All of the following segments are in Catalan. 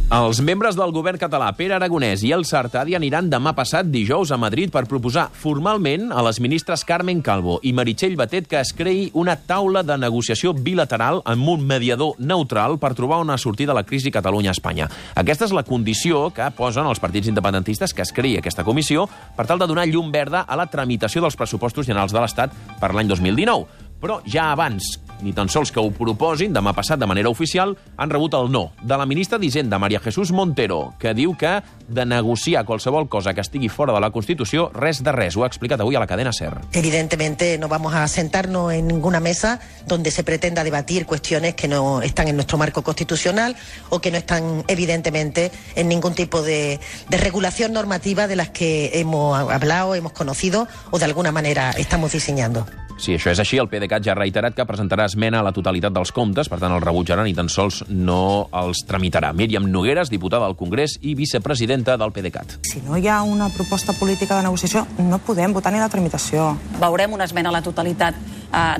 Els membres del govern català, Pere Aragonès i Elsa Artadi, aniran demà passat, dijous, a Madrid per proposar formalment a les ministres Carmen Calvo i Meritxell Batet que es creï una taula de negociació bilateral amb un mediador neutral per trobar una sortida a la crisi Catalunya-Espanya. Aquesta és la condició que posen els partits independentistes que es creï aquesta comissió per tal de donar llum verda a la tramitació dels pressupostos generals de l'Estat per l'any 2019. Però ja abans, ni tan sols que ho proposin, demà passat de manera oficial, han rebut el no de la ministra d'Hisenda, María Jesús Montero, que diu que de negociar qualsevol cosa que estigui fora de la Constitució, res de res. Ho ha explicat avui a la cadena SER. Evidentemente no vamos a sentarnos en ninguna mesa donde se pretenda debatir cuestiones que no están en nuestro marco constitucional o que no están evidentemente en ningún tipo de regulación normativa de las que hemos hablado, hemos conocido o de alguna manera estamos diseñando. Si això és així, el PDeCAT ja ha reiterat que presentarà esmena a la totalitat dels comptes, per tant el rebutjarà ni tan sols no els tramitarà. Míriam Nogueras, diputada al Congrés i vicepresidenta del PDeCAT. Si no hi ha una proposta política de negociació, no podem votar ni la tramitació. Veurem una esmena a la totalitat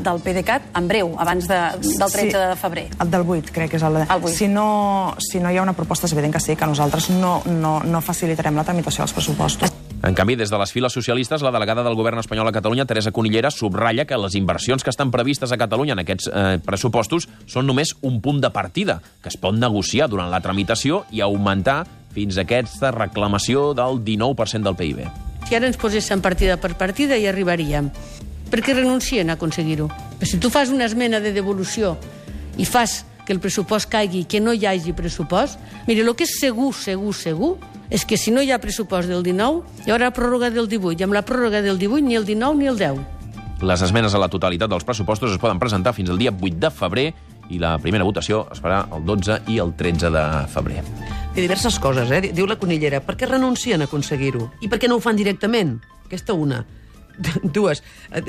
del PDeCAT en breu, abans del 13 de febrer. El del 8, crec que és el 8. Si no hi ha una proposta, és evident que sí, que nosaltres no facilitarem la tramitació dels pressupostos. En canvi, des de les files socialistes, la delegada del govern espanyol a Catalunya, Teresa Cunillera, subratlla que les inversions que estan previstes a Catalunya en aquests pressupostos són només un punt de partida, que es pot negociar durant la tramitació i augmentar fins a aquesta reclamació del 19% del PIB. Si ara ens poséssim partida per partida hi arribaríem. Per què renuncien a aconseguir-ho? Però si tu fas una esmena de devolució i fas que el pressupost caigui i que no hi hagi pressupost, mira, el que és segur, és que si no hi ha pressupost del 19, hi haurà pròrroga del 18, i amb la pròrroga del 18 ni el 19 ni el 10. Les esmenes a la totalitat dels pressupostos es poden presentar fins al dia 8 de febrer i la primera votació es farà el 12 i el 13 de febrer. Té diverses coses, diu la Cunillera. Per què renuncien a aconseguir-ho? I per què no ho fan directament? Aquesta una. Dues.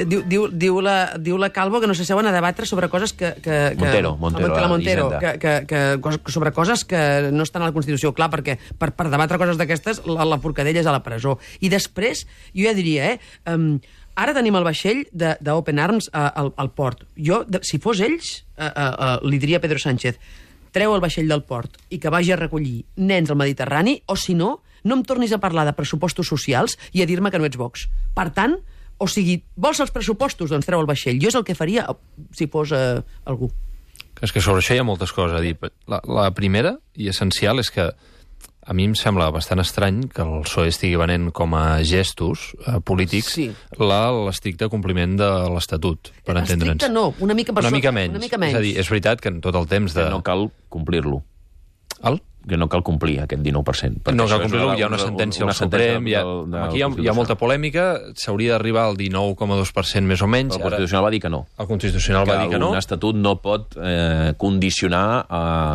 Diu la Calvo que no s'asseuen a debatre sobre coses que Montero, sobre coses que no estan a la Constitució. Clar, perquè per debatre coses d'aquestes la porcadella és a la presó. I després, jo ja diria, ara tenim el vaixell d'Open Arms al port. Jo, si fos ells, li diria a Pedro Sánchez, treu el vaixell del port i que vagi a recollir nens al Mediterrani, o si no, no em tornis a parlar de pressupostos socials i a dir-me que no ets Vox. Per tant, o sigui, vols els pressupostos? Doncs treu el vaixell. Jo és el que faria si fos algú. És que sobre això hi ha moltes coses a dir. La primera i essencial és que a mi em sembla bastant estrany que el PSOE estigui venent com a gestos polítics l'estricte compliment de l'Estatut, per entendre'ns. Estricte no, una mica per sota. Una mica menys. És a dir, és veritat que en tot el temps de... Que no cal complir-lo. Que no cal complir aquest 19%. No cal complir-lo, hi ha una sentència al Suprem, aquí hi ha molta polèmica, s'hauria d'arribar al 19,2% més o menys. El Constitucional va dir que no. El Constitucional va dir que no. Un estatut no pot condicionar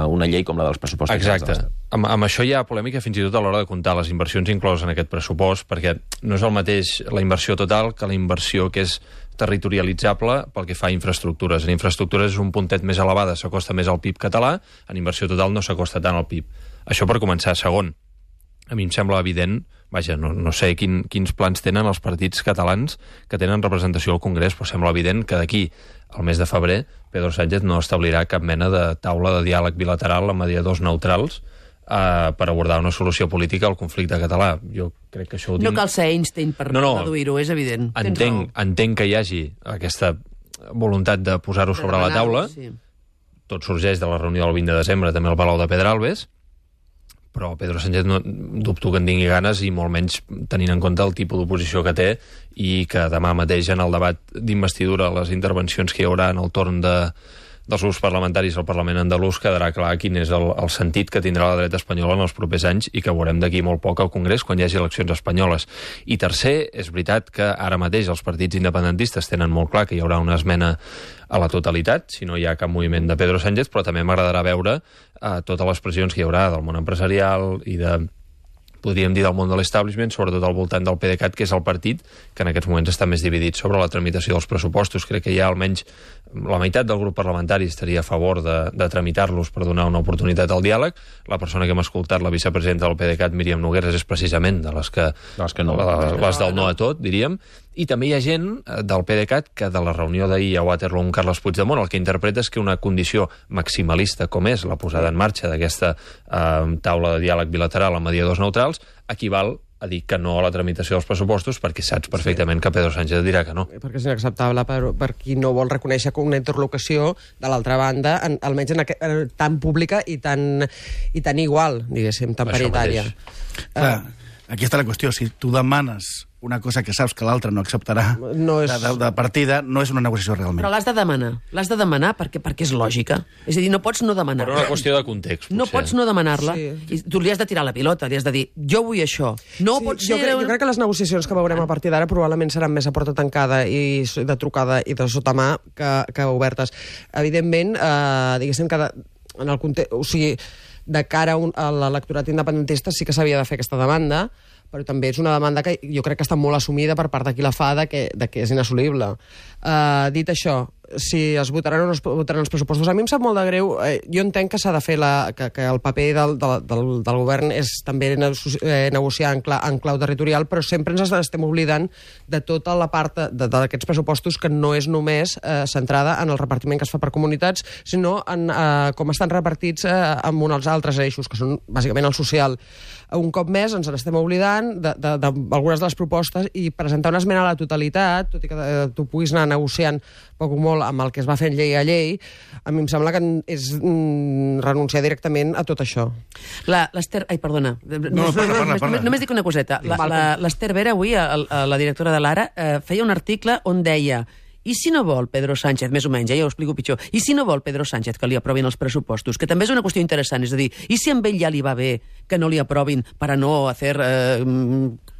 una llei com la dels pressupostos. Exacte. Amb això hi ha polèmica fins i tot a l'hora de comptar les inversions incloses en aquest pressupost, perquè no és el mateix la inversió total que la inversió que és territorialitzable pel que fa a infraestructures. En infraestructures és un puntet més elevada, s'acosta més al PIB català, en inversió total no s'acosta tant al PIB. Això per començar. Segon, a mi em sembla evident, vaja, no sé quins plans tenen els partits catalans que tenen representació al Congrés, però sembla evident que d'aquí al mes de febrer Pedro Sánchez no establirà cap mena de taula de diàleg bilateral amb mediadors neutrals per abordar una solució política al conflicte català. Jo crec que això ho dic... No cal ser Einstein per deduir-ho, és evident. Entenc que hi hagi aquesta voluntat de posar-ho sobre la taula. Sí. Tot sorgeix de la reunió del 20 de desembre, també al Palau de Pedralbes, però Pedro Sánchez no dubto que en tingui ganes i molt menys tenint en compte el tipus d'oposició que té i que demà mateix en el debat d'investidura, les intervencions que hi haurà en el torn dels grups parlamentaris al Parlament andalús quedarà clar quin és el sentit que tindrà la dreta espanyola en els propers anys i que veurem d'aquí molt poc al Congrés quan hi hagi eleccions espanyoles. I tercer, és veritat que ara mateix els partits independentistes tenen molt clar que hi haurà una esmena a la totalitat, si no hi ha cap moviment de Pedro Sánchez, però també m'agradarà veure totes les pressions que hi haurà del món empresarial i podríem dir del món de l'establishment, sobretot al voltant del PDeCAT, que és el partit que en aquests moments està més dividit sobre la tramitació dels pressupostos. Crec que hi ha almenys la meitat del grup parlamentari estaria a favor de tramitar-los per donar una oportunitat al diàleg. La persona que hem escoltat, la vicepresidenta del PDeCAT, Míriam Nogueras, és precisament de les del no a tot, diríem. I també hi ha gent del PDeCAT que de la reunió d'ahir a Waterloo amb Carles Puigdemont el que interpreta és que una condició maximalista com és la posada en marxa d'aquesta taula de diàleg bilateral amb mediadors neutrals equival a dir que no a la tramitació dels pressupostos perquè saps perfectament que Pedro Sánchez dirà que no. Perquè és inacceptable per qui no vol reconèixer una interlocució de l'altra banda, almenys tan pública i tan igual, diguéssim, tan paritària. Aquí està la qüestió. Si tu demanes una cosa que saps que l'altre no acceptarà de partida, no és una negociació realment. Però l'has de demanar perquè és lògica. És a dir, no pots no demanar-la. Per una qüestió de context, potser. No pots no demanar-la. I tu li has de tirar la pilota, li has de dir, jo vull això. No pot ser... Jo crec que les negociacions que veurem a partir d'ara probablement seran més a porta tancada i de trucada i de sotamà que obertes. Evidentment, diguéssim que en el context... O sigui, de cara a l'electorat independentista sí que s'havia de fer aquesta demanda, però també és una demanda que jo crec que està molt assumida per part de qui la fa, de que és inassolible. Dit això, si es votaran o no es votaran els pressupostos, a mi em sap molt de greu. Jo entenc que s'ha de fer que el paper del govern és també negociar en clau territorial, però sempre ens estem oblidant de tota la part d'aquests pressupostos que no és només centrada en el repartiment que es fa per comunitats, sinó en com estan repartits amb uns altres eixos, que són bàsicament el social. Un cop més ens n'estem oblidant d'algunes de les propostes i presentar una esmena a la totalitat, tot i que tu puguis anar negociant poc o molt amb el que es va fent llei a llei, a mi em sembla que és renunciar directament a tot això. L'Ester... Ai, perdona. Només dic una coseta. L'Ester Vera, avui, la directora de l'Ara, feia un article on deia: i si no vol Pedro Sánchez, més o menys, ja ho explico pitjor, i si no vol Pedro Sánchez que li aprovin els pressupostos, que també és una qüestió interessant, és a dir, i si amb ell ja li va bé que no li aprovin per a no hacer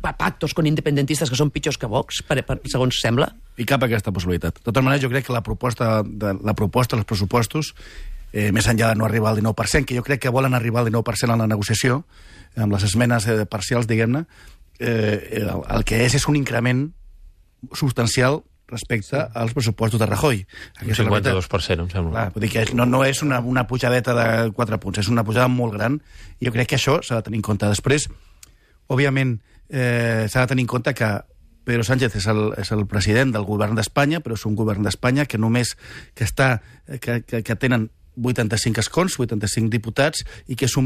pactos con independentistas que són pitjors que Vox, segons sembla? I cap aquesta possibilitat. De totes maneres, jo crec que la proposta dels pressupostos, més enllà de no arribar al 19%, que jo crec que volen arribar al 19% en la negociació, amb les esmenes parcials, diguem-ne, el que és un increment substancial respecte als pressupostos de Rajoy. Un 52%, em sembla. Clar, vull dir que no és una pujadeta de 4 punts, és una pujada molt gran, i jo crec que això s'ha de tenir en compte. Després, òbviament, s'ha de tenir en compte que Pedro Sánchez és el president del govern d'Espanya, però és un govern d'Espanya que només que tenen 85 escons, 85 diputats, i que és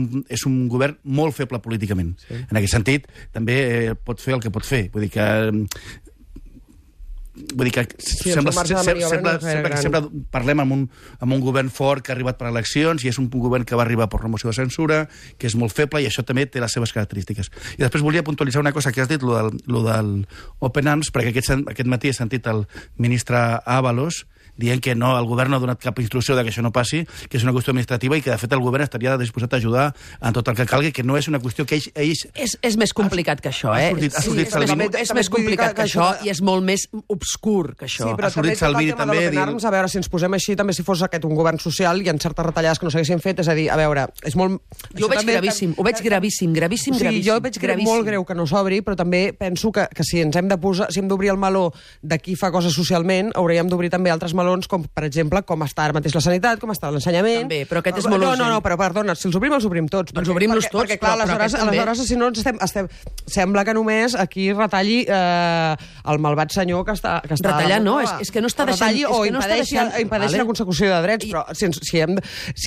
un govern molt feble políticament. Sí. En aquest sentit, també pot fer el que pot fer. Vull dir que sempre parlem amb un govern fort que ha arribat per eleccions, i és un govern que va arribar per una moció de censura, que és molt feble, i això també té les seves característiques. I després volia puntualitzar una cosa que has dit, lo del Open Arms, perquè aquest matí he sentit el ministre Ábalos dient que no, el govern no ha donat cap instrucció de que això no passi, que és una qüestió administrativa i que, de fet, el govern estaria disposat a ajudar en tot el que calgui, que no és una qüestió que ells... És més complicat que això, eh? És més complicat que això i és molt més obscur que això. Sí, però també tot el tema de l'Open Arms, a veure, si ens posem així, també si fos aquest un govern social i en certes retallades que no s'haguessin fet, és a dir, a veure, és molt... Jo ho veig gravíssim, gravíssim. Sí, jo veig molt greu que no s'obri, però també penso que si ens hem de posar, si hem d'obrir el meló de qui fa coses socialment, hauríem d'obrir també altres melons, com, per exemple, com està ara mateix la sanitat, com està l'ensenyament... També, però aquest és molt urgent. No, però perdona, si els obrim tots. Doncs obrim-los tots, perquè, clar, aleshores, si no, sembla que només aquí retalli el malvat senyor que està... Retallar no, és que no està deixant... O impedeixi la consecució de drets, però si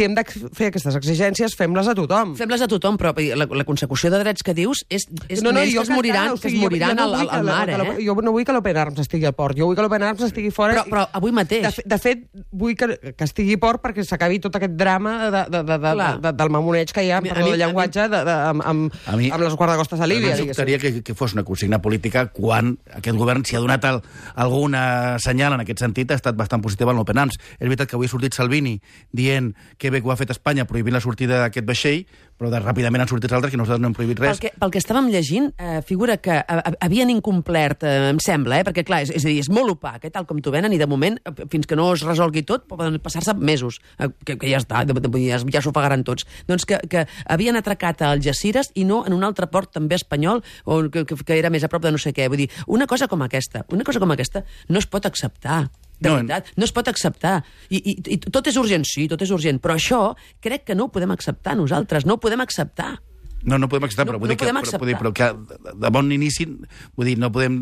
hem de fer aquestes exigències, fem-les a tothom. Fem-les a tothom, però la consecució de drets que dius és més que es moriran al mar, eh? Jo no vull que l'Open Arms estigui al port, jo vull que l'Open Arms estigui fora... Però avui mateix... De fet, vull que estigui a port perquè s'acabi tot aquest drama del mamoneig que hi ha, perdó, de llenguatge, amb les guardacostes de Líbia. A mi sobtaria que fos una consigna política quan aquest govern, si ha donat alguna senyal en aquest sentit, ha estat bastant positiva en l'Open Arms. És veritat que avui ha sortit Salvini dient que bé que ho ha fet Espanya prohibint la sortida d'aquest vaixell, però ràpidament han sortit altres que nosaltres no hem prohibit res. Pel que estàvem llegint, figura que havien incomplert, em sembla, perquè clar, és a dir, és molt opac, tal com t'ho venen, i de moment, fins que no es resolgui tot, poden passar-se mesos, que ja està, ja s'ho pagaran tots. Doncs que havien atracat a Algeciras i no en un altre port també espanyol, que era més a prop de no sé què. Vull dir, una cosa com aquesta no es pot acceptar. De veritat, no es pot acceptar. I tot és urgent, sí, tot és urgent, però això crec que no ho podem acceptar nosaltres, no ho podem acceptar. No podem acceptar, però vull dir que de bon inici, vull dir, no podem,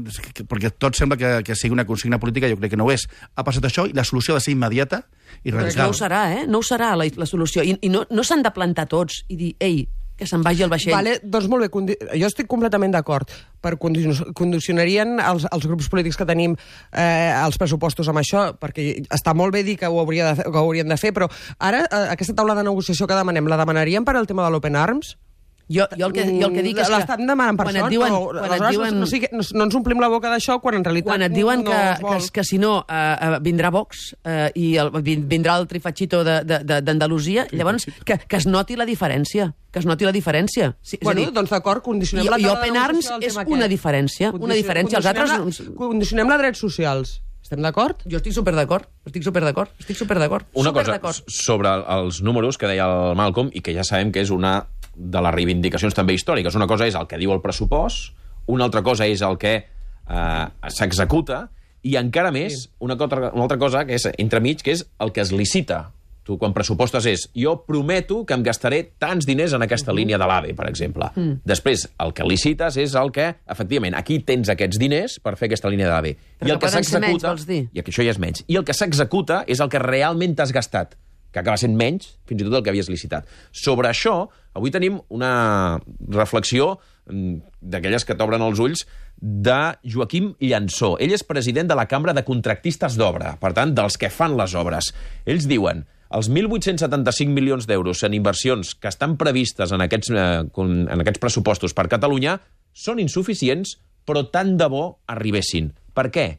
perquè tot sembla que sigui una consigna política, jo crec que no ho és. Ha passat això i la solució ha de ser immediata i radical. No ho serà, no ho serà la solució. I no s'han de plantar tots i dir, ei, que se'n vagi el vaixell. Vale, doncs molt bé, jo estic completament d'acord. Condicionarien els grups polítics que tenim els pressupostos amb això, perquè està molt bé dir que ho haurien de fer, però ara aquesta taula de negociació que demanem, la demanaríem per al tema de l'Open Arms? Jo el que dic és que... L'estan demanant per això, no ens omplim la boca d'això quan en realitat... Quan et diuen que si no vindrà Vox i vindrà el trifatxito d'Andalusia, llavors que es noti la diferència. Que es noti la diferència. Bueno, doncs d'acord, condicionem la... I Open Arms és una diferència. Una diferència. Els altres... Condicionem la drets socials. Estem d'acord? Jo estic superdd'acord. Una cosa sobre els números que deia el Malcolm i que ja sabem que és una de les reivindicacions també històriques. Una cosa és el que diu el pressupost, una altra cosa és el que s'executa i encara més una altra cosa que és entremig, que és el que es licita. Tu, quan pressupostes és, jo prometo que em gastaré tants diners en aquesta línia de l'AVE, per exemple. Després, el que licites és el que, efectivament, aquí tens aquests diners per fer aquesta línia de l'AVE. I el que s'executa... I que això ja és menys. I el que s'executa és el que realment t'has gastat, que acaba sent menys, fins i tot el que havies licitat. Sobre això, avui tenim una reflexió d'aquelles que t'obren els ulls de Joaquim Llansó. Ell és president de la Cambra de Contractistes d'Obra, per tant, dels que fan les obres. Ells diuen: els 1.875 milions d'euros en inversions que estan previstes en aquests pressupostos per Catalunya són insuficients, però tant de bo arribessin. Per què?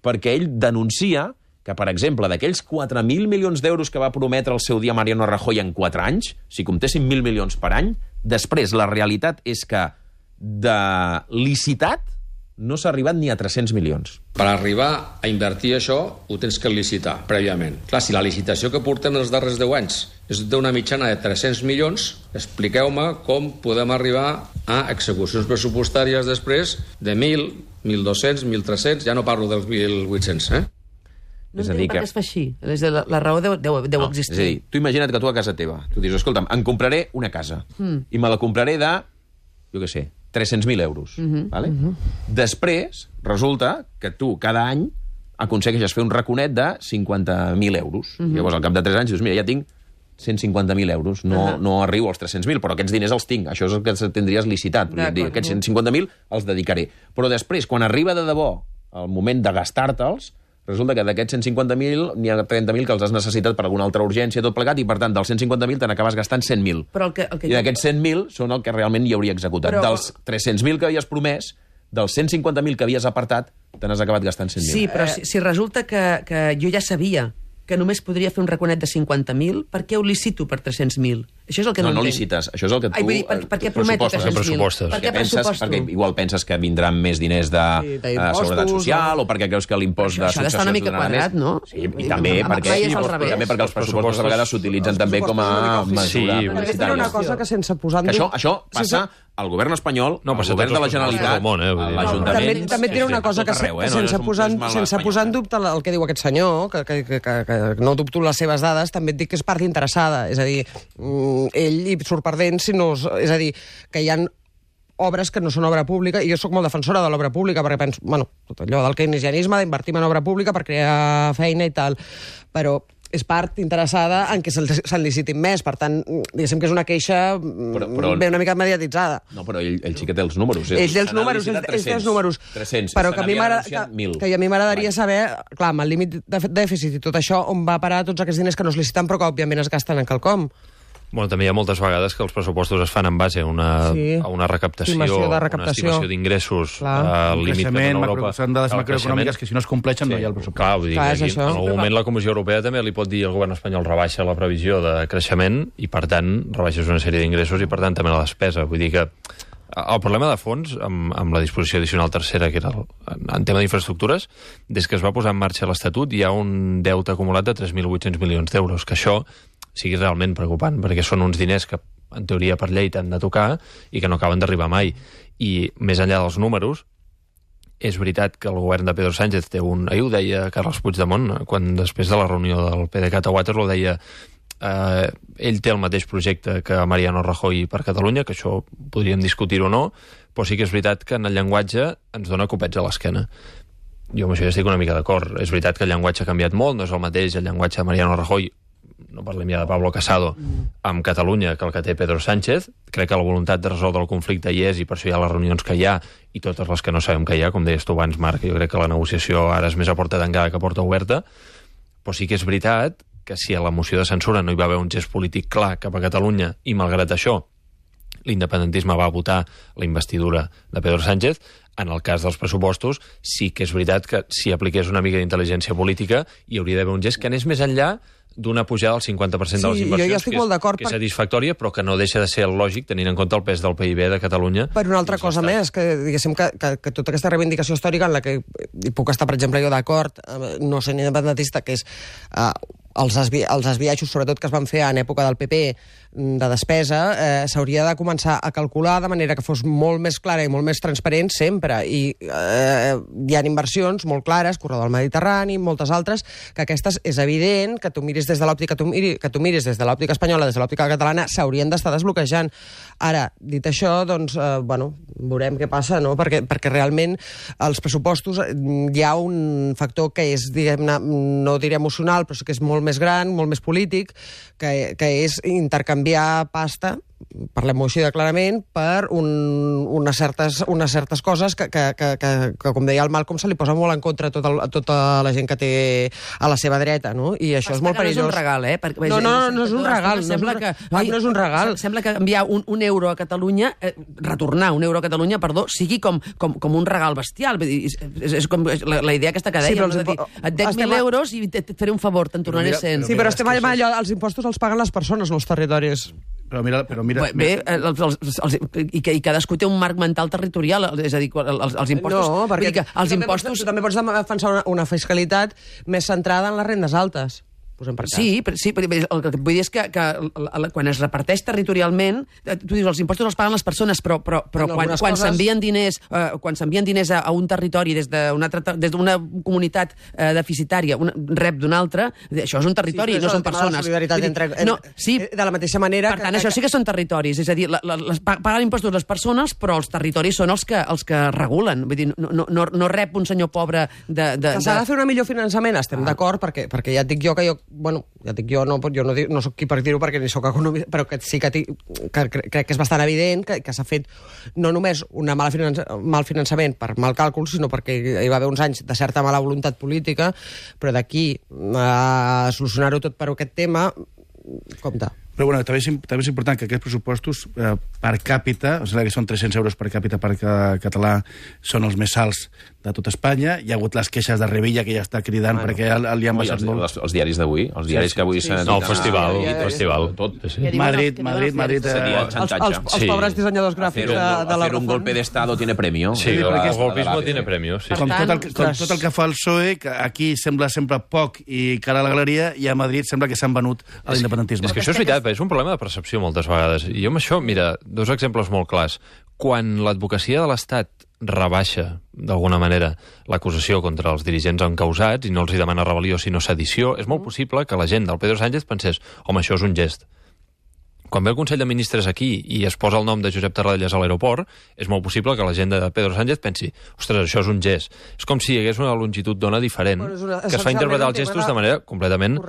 Perquè ell denuncia que, per exemple, d'aquells 4.000 milions d'euros que va prometre el seu dia Mariano Rajoy en 4 anys, si comptessin 1.000 milions per any, després la realitat és que de licitat no s'ha arribat ni a 300 milions. Per arribar a invertir això, ho tens que licitar prèviament. Clar, si la licitació que portem els darrers 10 anys és d'una mitjana de 300 milions, expliqueu-me com podem arribar a execucions pressupostàries després de 1.000, 1.200, 1.300, ja no parlo dels 1.800, No entenc per què es fa així. La raó deu existir. És a dir, tu imagina't que tu a casa teva, tu dius, escolta'm, em compraré una casa i me la compraré de, jo què sé, 300.000 euros. Vale? Després, resulta que tu cada any aconsegueixes fer un raconet de 50.000 euros. Llavors, al cap de 3 anys, dius, mira, ja tinc 150.000 euros. No arribo als 300.000, però aquests diners els tinc. Això és el que tindries licitat. Aquests 150.000 els dedicaré. Però després, quan arriba de debò el moment de gastar-te'ls, resulta que d'aquests 150.000 n'hi ha 30.000 que els has necessitat per alguna altra urgència, tot plegat, i per tant, dels 150.000 te n'acabes gastant 100.000. I d'aquests 100.000 són el que realment hi hauria executat. Dels 300.000 que havies promès, dels 150.000 que havies apartat, te n'has acabat gastant 100.000. Sí, però si resulta que jo ja sabia que només podria fer un raconet de 50.000, per què ho licito per 300.000? Això és el que no entenc. No licites, això és el que tu... Per què prometo 300.000? Perquè igual penses que vindran més diners de seguretat social, o perquè creus que l'impost de successions... Això ha d'estar una mica quadrat, no? Sí, i també perquè els pressupostos a vegades s'utilitzen també com a mesura publicitària. Una cosa que sense posar... Això passa al govern espanyol, al govern de la Generalitat, a l'Ajuntament... També et diré una cosa que sense posar en dubte el que diu aquest senyor, que no dubto les seves dades, també et dic que és part interessada. És a dir, ell hi surt perdent si no... És a dir, que hi ha obres que no són obra pública, i jo sóc molt defensora de l'obra pública, perquè penso, bueno, tot allò del keynesianisme, d'invertir en obra pública per crear feina i tal, però és part interessada en què se'n licitin més. Per tant, diguéssim que és una queixa ben una mica mediatitzada. No, però ell sí que té els números. Ell té els números, 300, però que a mi m'agradaria saber, clar, amb el límit de dèficit i tot això, on va parar tots aquests diners que no es liciten però que òbviament es gasten en quelcom. Bueno, també hi ha moltes vegades que els pressupostos es fan en base a una recaptació, una estimació d'ingressos, al límit que dona Europa. Són dades macroeconòmiques que si no es compleixen no hi ha el pressupost. Clar, vull dir que en algun moment la Comissió Europea també li pot dir al govern espanyol rebaixa la previsió de creixement i, per tant, rebaixes una sèrie d'ingressos i, per tant, també la despesa. Vull dir que el problema de fons, amb la disposició addicional tercera, que era en tema d'infraestructures, des que es va posar en marxa l'Estatut hi ha un deute acumulat de 3.800 milions d'euros, que això sigui realment preocupant, perquè són uns diners que, en teoria, per llei t'han de tocar i que no acaben d'arribar mai. I, més enllà dels números, És veritat que el govern de Pedro Sánchez té ahir ho deia Carles Puigdemont, quan després de la reunió del PDeCAT a Waterloo deia ell té el mateix projecte que Mariano Rajoy per Catalunya, que això podríem discutir o no, però sí que és veritat que en el llenguatge ens dona copets a l'esquena. Jo amb això ja estic una mica d'acord. És veritat que el llenguatge ha canviat molt, no és el mateix el llenguatge de Mariano Rajoy, no parlem ja de Pablo Casado, amb Catalunya que el que té Pedro Sánchez. Crec que la voluntat de resoldre el conflicte hi és, i per això hi ha les reunions que hi ha i totes les que no sabem que hi ha, com deies tu abans, Marc. Jo crec que la negociació ara és més a porta tancada que a porta oberta, però sí que és veritat que si a la moció de censura no hi va haver un gest polític clar cap a Catalunya i, malgrat això, l'independentisme va votar la investidura de Pedro Sánchez, en el cas dels pressupostos sí que és veritat que si apliqués una mica d'intel·ligència política hi hauria d'haver un gest que anés més enllà d'una pujada del 50% de les inversions, que és satisfactòria, però que no deixa de ser el lògic tenint en compte el pes del PIB de Catalunya. Per una altra cosa més, que diguéssim que tota aquesta reivindicació històrica en la que hi puc estar, per exemple, jo d'acord, no sent independentista, que és els esbiaixos, sobretot, que es van fer en època del PP de despesa, s'hauria de començar a calcular de manera que fos molt més clara i molt més transparent sempre. I hi ha inversions molt clares, corredor del Mediterrani, moltes altres, que aquestes és evident que tu miris des de l'òptica que tu miris des de l'òptica espanyola, des de l'òptica catalana, s'haurien d'estar desbloquejant. Ara, dit això, doncs, veurem què passa, no? Perquè realment els pressupostos hi ha un factor que és, diguem-ne, no diré emocional, però sí que és molt més gran, molt més polític, que és intercanviar pasta, parlem-ho així de clarament, per unes certes coses que, com deia el Malcolm, se li posa molt en contra a tota la gent que té a la seva dreta, no? I això és molt perillós. No és un regal, eh? No és un regal. No és un regal. Sembla que enviar un euro a Catalunya, retornar un euro a Catalunya, perdó, sigui com un regal bestial. És com la idea aquesta que dèiem, et dec 1.000 euros i et faré un favor, te'n tornaré 100. Sí, però estem allò, els impostos els paguen les persones, no els territoris. Però mira... Bé, i cadascú té un marc mental territorial, és a dir, els impostos... No, perquè tu també pots defensar una fiscalitat més centrada en les rendes altes. Sí, el que vull dir és que quan es reparteix territorialment, tu dius, els impostos els paguen les persones, però quan s'envien diners a un territori des d'una comunitat deficitària, rep d'una altra, això és un territori, no són persones. De la mateixa manera... Per tant, això sí que són territoris, és a dir, paguen impostos les persones, però els territoris són els que regulen. Vull dir, no rep un senyor pobre de... S'ha de fer un millor finançament, estem d'acord, perquè ja et dic jo que jo no soc qui per dir-ho perquè ni soc economista, però que sí que crec que és bastant evident que s'ha fet no només un mal finançament per mal càlcul, sinó perquè hi va haver uns anys de certa mala voluntat política, però d'aquí a solucionar-ho tot per aquest tema, compte. Però bueno, també és important que aquests pressupostos per càpita, o sigui que són 300 euros per càpita per català, són els més alts de tot Espanya. Hi ha hagut les queixes de Revilla, que ja està cridant perquè li han baixat molt. Els diaris d'avui, els diaris que avui s'han... No, el festival. Tot. Madrid. Els pobres dissenyadors gràfics de la Razón. Hacer un golpe de Estado tiene premio. Sí, el golpismo tiene premio. Com tot el que fa el PSOE, que aquí sembla sempre poc i cara a la galeria, i a Madrid sembla que s'han venut a l'independentisme. És que això és veritat, és un problema de percepció moltes vegades. I jo amb això, mira, dos exemples molt clars. Quan l'advocacia de l'Estat rebaixa, d'alguna manera, l'acusació contra els dirigents encausats i no els hi demana rebel·lió sinó sedició, és molt possible que la gent del Pedro Sánchez pensés, home, això és un gest. Quan ve el Consell de Ministres aquí i es posa el nom de Josep Tarradellas a l'aeroport, és molt possible que la gent de Pedro Sánchez pensi, ostres, això és un gest. És com si hi hagués una longitud d'ona diferent que es fa interpretar els gestos de manera completament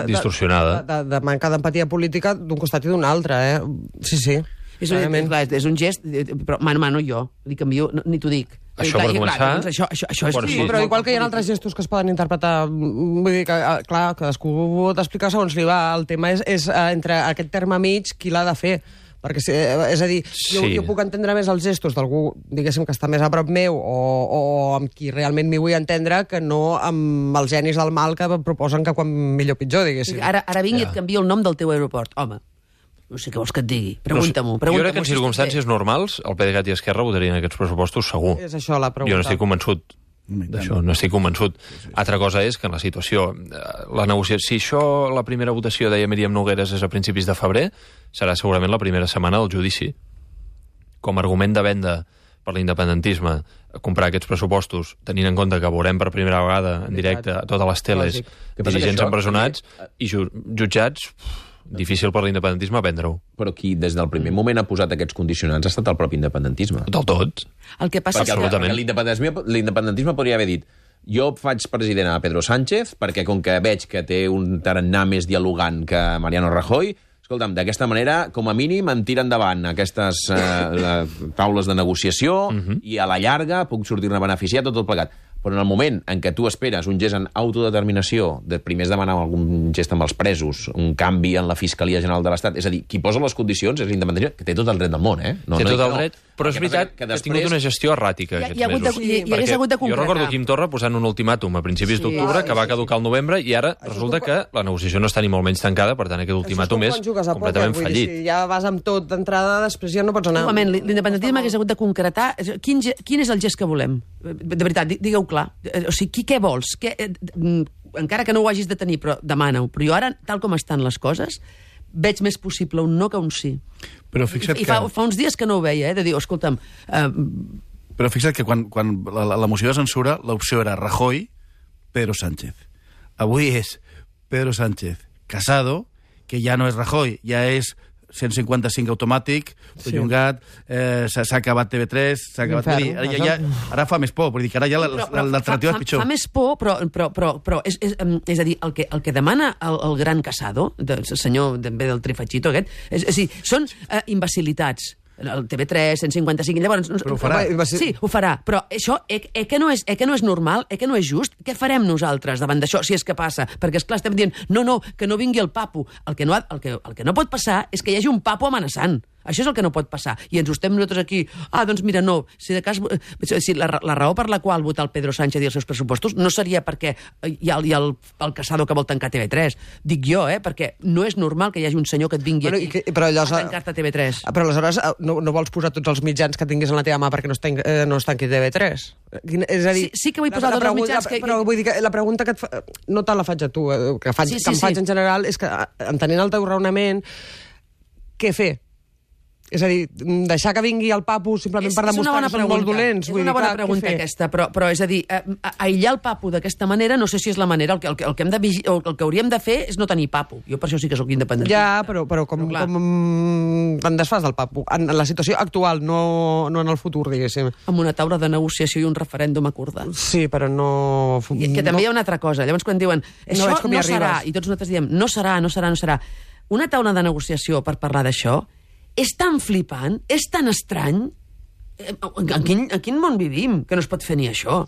distorsionada. De manca d'empatia política d'un costat i d'un altre, Sí. És un gest, però mano jo, li canvio, ni t'ho dic. Això per començar... Això és... Sí, però igual que hi ha altres gestos que es poden interpretar, vull dir que, clar, cadascú pot explicar segons li va. El tema és entre aquest terme mig qui l'ha de fer. Perquè, és a dir, jo puc entendre més els gestos d'algú, diguéssim, que està més a prop meu o amb qui realment m'hi vull entendre que no amb els genis del mal que proposen que quan millor pitjor, diguéssim. Ara vingui i et canvio el nom del teu aeroport. Home, no sé què vols que et digui. Pregunta-m'ho. Jo crec que en circumstàncies normals el PDeCAT i Esquerra votarien aquests pressupostos segur. És això la pregunta. Jo no estic convençut d'això, no estic convençut. Altra cosa és que en la situació, la negociació, si això, la primera votació, deia Míriam Nogueres, és a principis de febrer, serà segurament la primera setmana del judici. Com a argument de venda per l'independentisme comprar aquests pressupostos, tenint en compte que veurem per primera vegada en directe a totes les teles dirigents empresonats i jutjats, difícil per l'independentisme prendre-ho. Però qui des del primer moment ha posat aquests condicionants ha estat el propi independentisme. Del tot. El que passa és que l'independentisme podria haver dit jo faig president a Pedro Sánchez perquè com que veig que té un tarannà més dialogant que Mariano Rajoy, escolta'm, d'aquesta manera, com a mínim, em tira endavant aquestes taules de negociació i a la llarga puc sortir-ne beneficiat tot plegat. Però en el moment en què tu esperes un gest en autodeterminació, primer es demanar algun gest amb els presos, un canvi en la Fiscalia General de l'Estat, és a dir, qui posa les condicions és l'independentisme, que té tot el dret del món, Té tot el dret, però és veritat que ha tingut una gestió erràtica aquests mesos. Hi hagués hagut de concretar. Jo recordo Quim Torra posant un ultimàtum a principis d'octubre que va caducar al novembre i ara resulta que la negociació no està ni molt menys tancada, per tant aquest ultimàtum és completament fallit. Si ja vas amb tot d'entrada, després ja no pots anar. L'independentisme hagués hagut de concretar quin és el gest que volem. De veritat, digueu clar. O sigui, què vols? Encara que no ho hagis de tenir, però demana-ho. Però jo ara, tal com estan les coses, veig més possible un no que un sí. Però fixa't I fa uns dies que no ho veia, de dir, escolta'm... Però fixa't que quan la moció de censura, l'opció era Rajoy, Pedro Sánchez. Avui és Pedro Sánchez, Casado, que ja no és Rajoy, ja és 155 automàtic, perllongat, s'ha acabat TV3, s'ha acabat... Ara fa més por, vull dir que ara ja l'alternativa és pitjor. Fa més por, però és a dir, el que demana el gran Casado, el senyor també del Trifachito aquest, és a dir, són imbecilitats. El TV3, 155... Llavors, però ho farà. Sí, ho farà. Però això, que no és normal, que no és just? Què farem nosaltres davant d'això, si és que passa? Perquè, esclar, estem dient, no, que no vingui el papo. El que no pot passar és que hi hagi un papo amenaçant. Això és el que no pot passar. I ens ho estem nosaltres aquí... doncs mira, no. Si de cas, la raó per la qual votar el Pedro Sánchez i els seus pressupostos no seria perquè hi ha el Casado que vol tancar TV3. Dic jo, perquè no és normal que hi hagi un senyor que et vingui aquí a tancar-te TV3. Però aleshores no vols posar tots els mitjans que tinguis en la teva mà perquè no es tanqui TV3? És a dir... Sí que vull posar tots els mitjans que... Però vull dir que la pregunta que et fa... No tant la faig a tu, que em faig en general, és que, entenent el teu raonament, què fer? És a dir, deixar que vingui el papo simplement per demostrar que són molt dolents. És una bona pregunta aquesta, però és a dir, aïllar el papo d'aquesta manera no sé si és la manera. El que hauríem de fer és no tenir papo. Jo per això sí que sóc independentista. Ja, però com te'n desfas del papo? En la situació actual, no en el futur, diguéssim. Amb una taula de negociació i un referèndum acordat. Sí, però no... Que també hi ha una altra cosa. Llavors, quan diuen, això no serà, i tots nosaltres diem, no serà. Una taula de negociació per parlar d'això és tan flipant, és tan estrany. En quin món vivim que no es pot fer ni això?